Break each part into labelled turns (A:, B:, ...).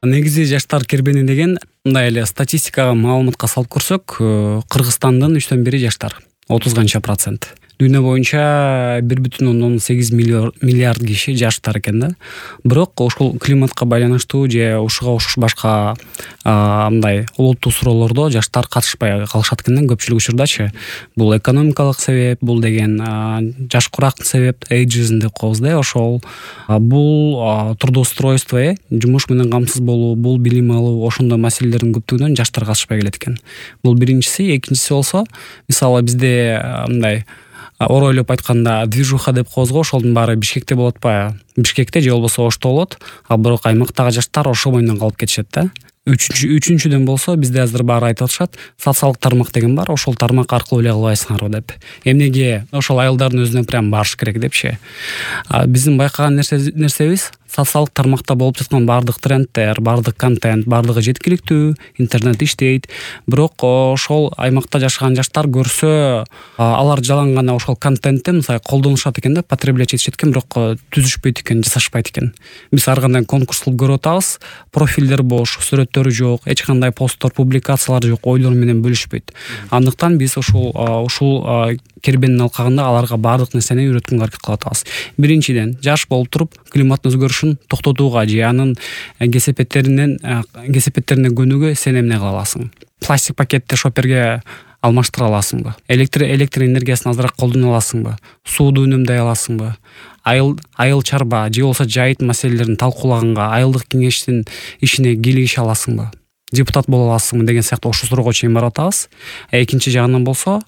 A: Негизи жаштар кербени деген мындай эле статистикага маалыматка салып көрсөк, Кыргызстандын 3/1 жаштар, 30 канча процент. Дүйнө боюнча 1,8 миллиард киши жаштар экен да. Бирок ушул климатка байланыштуу же ушуга окшош башка мындай олуттуу суроолордо жаштар катышпай калышат экен да көпчүлүк учурдачы. Бул экономикалык себеп, бул деген жаш курактын себеп, эйджизм деп коебуз да, ошол. Бул трудоустройство, жумуш менен камсыз болуу, бул билим алуу, ошондой маселелердин көптүгүнөн жаштар катышпай келет экен. Бул биринчиси. Экинчиси болсо, мисалы бизде мындай оройлоп айтканда движуха деп коебуз го, ошолдун баары Бишкекте болот атпайбы? Бишкекте же болбосо Ошто болот, бирок аймактагы жаштар ошо боюнан калып кетишет да. Үчүнчүдөн болсо, бизде азыр баары айтып атышат, социалдык тармак деген бар, ошол тармак аркылуу эле кылбайсыңарбы деп. Эмнеге ошол аялдардын өзүнө прям барыш керек депчи. Биздин байкаган нерсебиз, социалдык тармакта болуп жаткан баардык трендтер, баардык контент, баардыгы жеткиликтүү, интернет иштейт. Бирок ошол аймакта жашаган жаштар көрсө, алар жалаң гана ошол контентти мисалы колдонушат экен да, потреблять этишет экен, бирок түзүшпөйт экен, жасашпайт экен. Биз ар кандай конкурс кылып көрүп атабыз, профилдер бош, сүрөттөрү жок, эч кандай посттор, публикациялар жок, ойлор менен бөлүшпөйт. Андыктан биз ушул кербенин алкагында аларга баардык нерсени үйрөткөнгө аракет кылып атабыз. Биринчиден, жаш болуп туруп климаттын өзгөрүшүн токтотууга же анын кесепеттерине көнүүгө сен эмне кыла аласың? Пластик пакетти шоперге алмаштыра аласыңбы? Электр энергиясын азыраак колдоно аласыңбы? Сууду үнөмдөй аласыңбы? Айыл чарба же болбосо жайыт маселелерин талкуулаганга айылдык кеңештин ишине кийлигише аласыңбы? Депутат боло аласыңбы деген сыяктуу ошол суроого чейин барып атабыз. Экинчи жагынан болсо,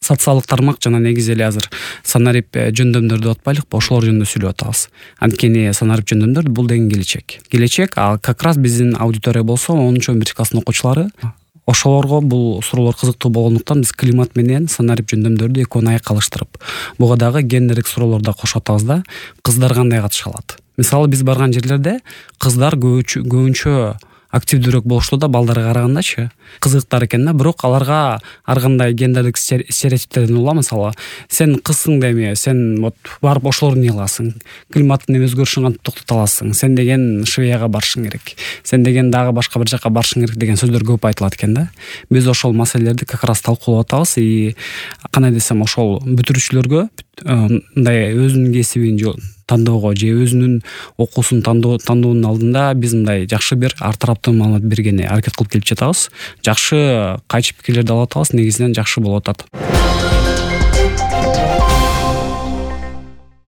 A: социалдык тармак жана негизи эле азыр санарип жөндөмдөр деп атпайлыкпы, ошолор жөнүндө сүйлөп атабыз. Анткени санарип жөндөмдөр бул деген келечек, ал как раз биздин аудитория болсо 10-11 класстын окуучулары. Ошолорго бул суроолор кызыктуу болгондуктан биз климат менен санарип жөндөмдөрдү экөөнү айкалыштырып, буга дагы гендерлик суроолор да кошуп атабыз да. Кыздар кандай катыша алат? Мисалы биз барган жерлерде кыздар көбүнчө активдүүрөөк болушту да, балдарга карагандачы. Кызыктар экен да, бирок аларга ар кандай гендерлик стереотиптерден ула, мисалы, сен кызсың деме, сен вот барып ошолорду эмне кыласың? Климаттын өзгөрүшүн кантип токтото аласың? Сен деген Швецияга барышың керек. Сен деген дагы башка бир жакка барышың керек деген сөздөр көп айтылат экен да. Биз ошол маселелерди как раз талкуулап атабыз. Кандай десем, ошол бүтүрүүчүлөргө мындай өзүнүн кесибин тандоого же өзүнүн окуусун тандоонун алдында биз мындай жакшы бир ар тараптуу маалымат бергени аракет кылып келип жатабыз. Жакшы кайчы пикирлерди алып атабыз, негизинен жакшы болуп атат.